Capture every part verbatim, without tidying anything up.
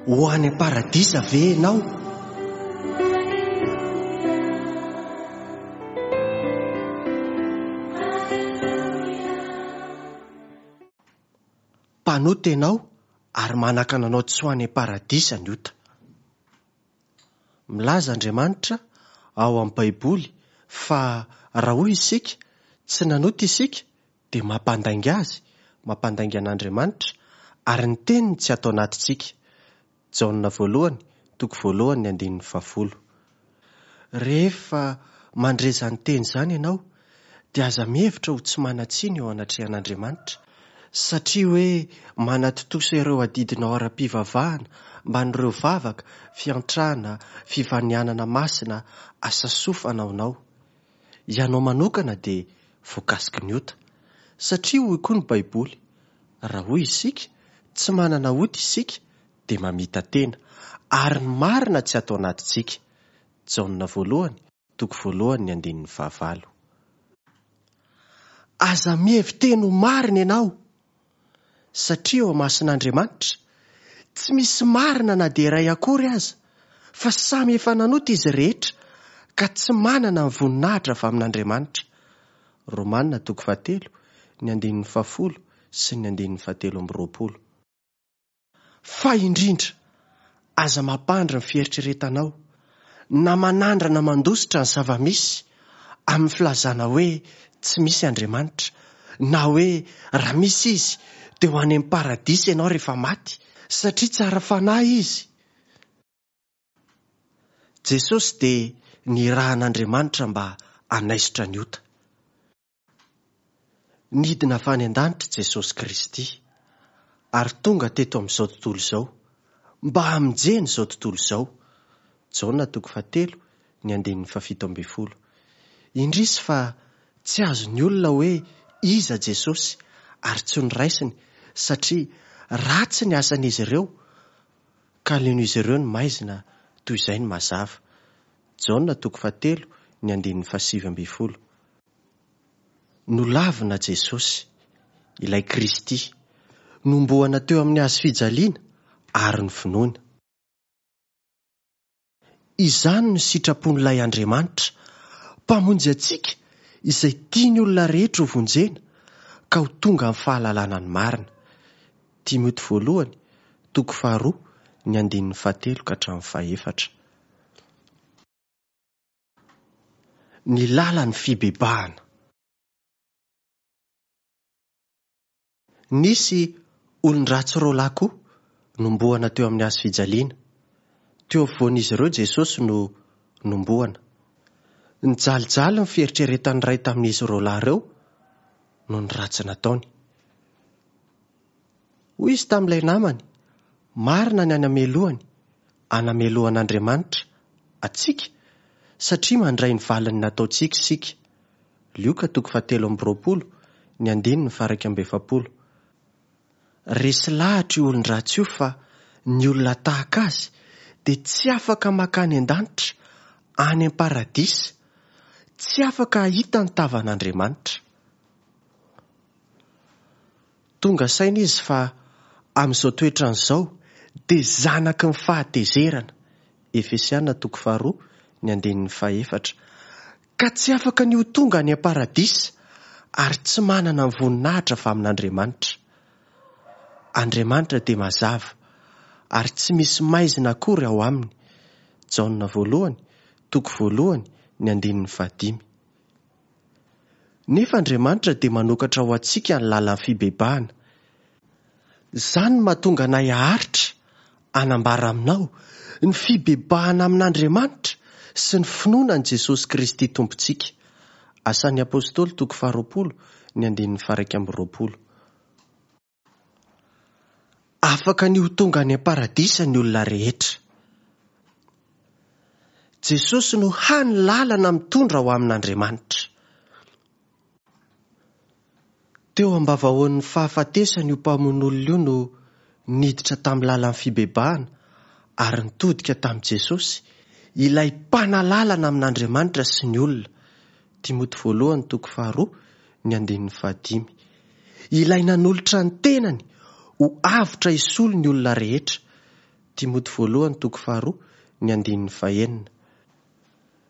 Ho any am-paradisa ve ianao? Mpanota ianao ary manakana anao tsy ho any am-paradisa ny ota. Milaza Andriamanitra ao amin'ny Baiboly fa raha hoy isika, tsy nanota isika, dia mampandainga azy, mampandainga an'Andriamanitra, ary ny teniny tsy atao anatintsika. Jaona voalohany, toko voalohany ny andininy fahafolo. Rehefa mandre izany teny izany ianao, dia aza mihevitra ho tsy manan-tsiny eo anatrehan'Andriamanitra, satria hoe manatontosa ireo adidinao ara-pivavahana mban'ireo vavaka, fiantrana, fivanianana masina, asa soa fanaonao. Ianao manokana dia voakasiky ny ota, satria hoy koa ny Baiboly, raha hoy isika, tsy manana ota isika, dia mamita-tena, ary ny marina tsy atao anatintsika. Jaona voalohany, toko voalohany ny andininy fahavalo. Aza mihevi-teny ho marina ianao, satria eo imason'Andriamanitra, tsy misy marina na dia iray akory aza, fa samy efa nanota izy rehetra, ka tsy manana ny voninahitra avy amin'Andriamanitra. Romana toko fahatelo, ny andininy fahafolo sy ny andininy fahatelo amby roapolo. Fa indrindra, aza mampandry ny fieritreretanao, na manandrana mandositra ny zava-misy amin'ny filazana hoe tsy misy Andriamanitra, na hoe raha misy izy dia ho any amin'ny paradisa ianao rehefa maty, satria tsara fanahy izy. Jesosy dia nirahan'Andriamanitra mba hanaisotra ny ota. Nidina avy any an-danitra Jesosy Kristy ary tonga teto amin'izao tontolo izao mba hamonjena izao tontolo izao. Jaona toko fahatelo, ny andininy fahafito ambin'ny folo. Indrisy fa tsy azon'ny olona hoe iza Jesosy ary tsy noraisiny, satria ratsy ny asan'izy ireo, ka aleon'izy ireo ny maizina toy izay ny mazava. Jaona toko fahatelo, ny andininy fahasivy ambin'ny folo. Nolavina Jesosy, ilay Kristy, nombohana teo amin'ny hazo fijaliana ary novonoina. Izany no sitrapon'ilay Andriamanitra, mpamonjy antsika izay tiany olona rehetra ho vonjena ka ho tonga amin'ny fahalalana ny marina. Timoty voalohany, toko faharoa, ny andininy fahatelo ka hatramin'ny fahefatra. Ny lalan'ny fibebahana. Nisy olon-dratsy roa lahy koa nombohana teo amin'ny hazo fijaliana. Teo afovoan'izy ireo Jesosy no nombohana. Nijalijaly ny fieritreretan'ny iray tamin'izy roa lahy ireo noho ny ratsy nataony. Hoy izy tamin'ilay namany, marina ny anamelohany, anamelohan'Andriamanitra antsika, satria mandray ny valiny nataontsika isika. Lioka toko fahatelo amby roapolo, ny andininy faha-iraika amby efapolo. Resy lahatra io olon-dratsy io fa ny olona tahaka azy dia tsy afaka mankany an-danitra, any am-paradisa, tsy afaka hahita ny tavan'Andriamanitra. Tonga saina izy fa amin'izao toetrany izao dia zanaky ny fahatezerana. Efesiana toko faharoa, ny andininy fahefatra. Ka tsy afaka ny ho tonga any am-paradisa ary tsy manana ny voninahitra avy amin'Andriamanitra. Andriamanitra dia mazava ary tsy misy maizina akory ao aminy. Jaona voalohany, toko voalohany, ny andininy fahadimy. Nefa Andriamanitra dia manokatra ho antsika ny lalan'ny fibebahana. Izany no mahatonga anay haharitra hanambara aminao ny fibebahana amin'Andriamanitra sy ny finoana an'i Jesosy Kristy Tompontsika. Asan'ny Apôstôly toko faharoapolo, ny andininy faha-iraika amby roapolo. Afaka ny ho tonga any am-paradisa ny olona rehetra. Jesosy no hany lalana mitondra ho amin'Andriamanitra. Teo am-bavahoan'ny fahafatesana io mpamono olona io no niditra tamin'ny lalan'ny fibebahana ary nitodika tamin'i Jesosy, ilay mpanalalana amin'Andriamanitra sy ny olona. Timoty voalohany toko faharoa, ny andininy fahadimy. Ilay nanolotra ny tenany ho avotra hisolo ny olona rehetra. Timoty voalohany toko faharoa ny andininy fahenina.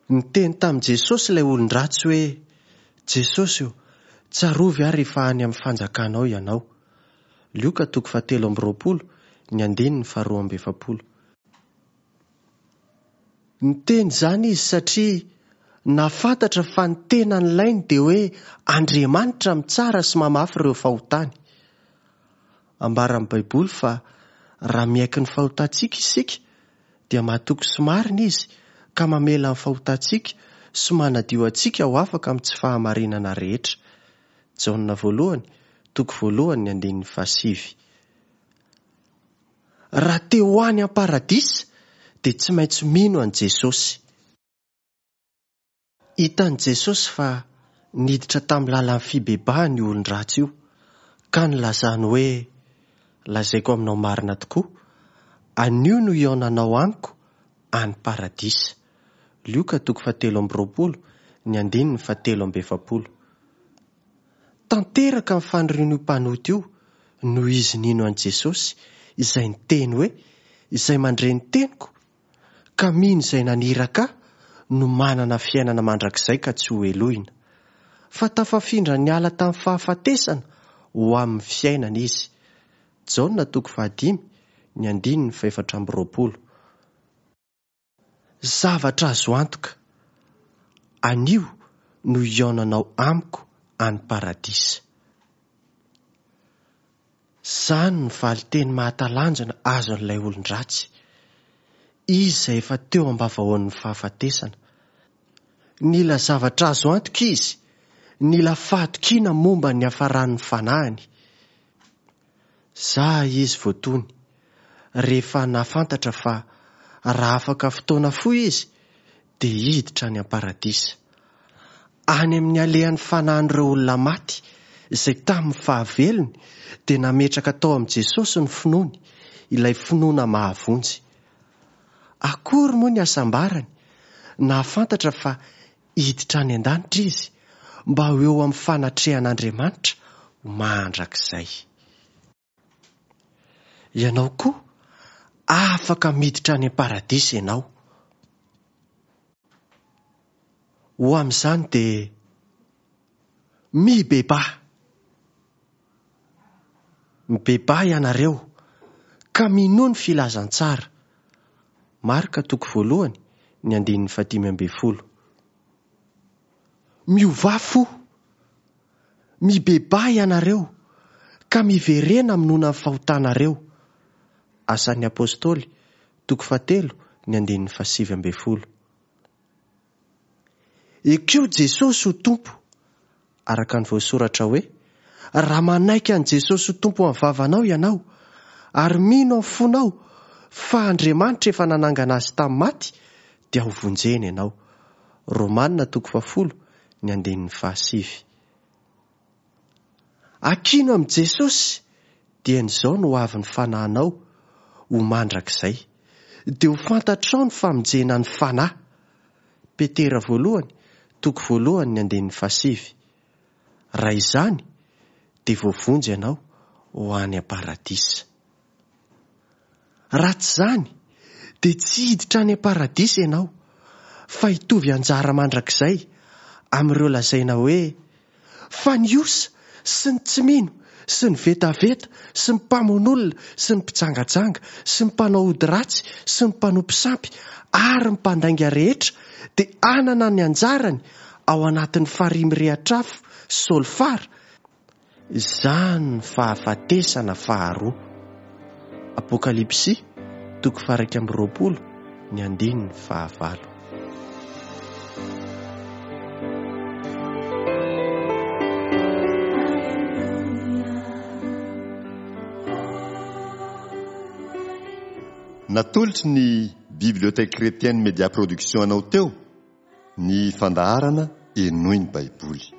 Niteny tamin'i Jesosy ilay olon-dratsy hoe: Jesosy ô, tsarovy aho rehefa any amin'ny fanjakanao ianao. Lioka toko fahatelo amby roapolo ny andininy faharoa amby efapolo. Niteny izany izy satria nahafantatra fa ny tena nilainy dia hoe Andriamanitra mitsara sy mamafy ireo fahotany. Ambaran'ny Baiboly fa raha miaiky ny fahotantsika isika dia mahatoky sy marina izy ka mamela ny fahotantsika sy manadio antsika ho afaka amin'ny tsy fahamarinana rehetra. Jaona voalohany, toko voalohany ny andininy fahasivy. Raha te ho any am-paradisa dia tsy maintsy mino an'i Jesosy. Hitan'i Jesosy fa niditra tamin'ny lalan'ny fibebahana io olon-dratsy io ka nilazany hoe: lazaiko aminao marina tokoa, anio no hihaonanao amiko any paradisa. Lioka toko fahatelo amby roapolo ny andininy fahatelo amby efapolo. Tanteraka ny fanirian'io mpanota io noho izy nino an'i Jesosy izay niteny hoe: izay mandre ny teniko ka mino izay naniraka ahy no manana fiainana mandrakizay ka tsy ho helohina. Fa tafafindra niala tamin'ny fahafatesana ho amin'ny fiainana izy. Jaona toko fahadimy ny andininy fahefatra amby roapolo. Zavatra azo antoka, anio no hihaonanao amiko any paradisa. Izany no valinteny mahatalanjona azon'ilay olon-dratsy. Izy izay efa teo am-bavahoan'ny fahafatesana. Nila zavatra azo antoka izy, nila fahatokiana momba ny hafaran'ny fanahiny. Za izy voatony, rehefa nahafantatra fa raha afaka fotoana fohy izy dia hiditra any am-paradisa. Any amin'ny alehan'ny fanahin'ireo olona maty izay tamin'ny fahavelony dia nametraka tao amin'i Jesosy ny finoany, ilay finoana mahavonjy. Akory moa ny hasambarany nahafantatra fa hiditra any an-danitra izy mba ho eo amin'ny fanatrehan'Andriamanitra ho mandrakizay. Ianao koa afaka miditra any am-paradisa ianao. Ho amin'izany dia mibebaha. Mibebaha ianareo ka minoa ny filazantsara. Marka toko voalohany ny andininy fahadimy ambin'ny folo. Miovà fo. Mibebaha ianareo ka miverena minoana ny fahotanareo. Asan'ny Apôstôly toko fahatelo ny andininy fahasivy ambin'ny folo. Ekeo Jesosy ho Tompo, araka ny voasoratra hoe: raha manaiky an'i Jesosy ho Tompo amin'ny vavanao ianao ary mino amin'ny fonao fa Andriamanitra efa nanangana azy tamin'ny maty dia ho vonjena ianao. Romana toko fahafolo ny andininy fahasivy. Akino amin'i Jesosy dia izao no ho avin'ny fanahinao ho mandrakizay. Dia ho fantatrao ny famonjena ny fanahy. Petera voalohany toko voalohany ny andininy fahasivy. Raha izany dia voavonjy ianao ho any am-paradisa. Raha tsy izany dia tsy hiditra any am-paradisa ianao fa hitovy anjara mandrakizay amin'ireo lazaina hoe fa ny osa sy ny tsy mino sy ny vetaveta sy ny mpamono olona sy ny mpijangajanga sy ny mpanao ody ratsy sy ny mpanompo sampy ary ny mpandainga rehetra dia hanana ny anjarany ao anatin'ny farihy mirehitra afo solfara. Izany ny fahafatesana faharoa. Apokalypsy toko faha-iraika amby roapolo ny andininy fahavalo. Natolotry ny Bibliothèque Chrétienne Média Production anao teo ny fandaharana Henoy ny Baiboly.